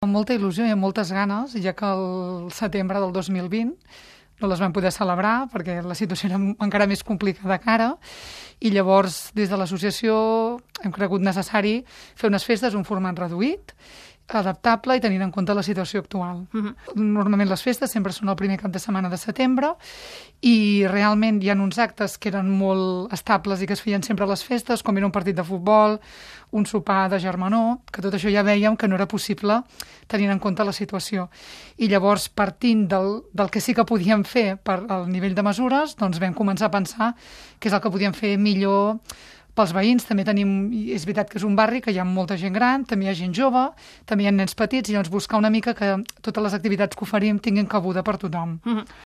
Amb molta il·lusió i amb moltes ganes, ja que el setembre del 2020 no les vam poder celebrar perquè la situació era encara més complicada que ara, i llavors des de l'associació hem cregut necessari fer unes festes un format reduït, adaptable i tenint en compte la situació actual. Normalment les festes sempre són el primer cap de setmana de setembre i realment hi ha uns actes que eren molt estables i que es feien sempre a les festes, com era un partit de futbol, un sopar de germanor, que tot això ja vèiem que no era possible tenint en compte la situació. I llavors, partint del que sí que podíem fer per al nivell de mesures, doncs vam començar a pensar què és el que podíem fer millor pels veïns. També tenim, és veritat que és un barri que hi ha molta gent gran, també hi ha gent jove, també hi ha nens petits, i llavors buscar una mica que totes les activitats que oferim tinguin cabuda per tothom.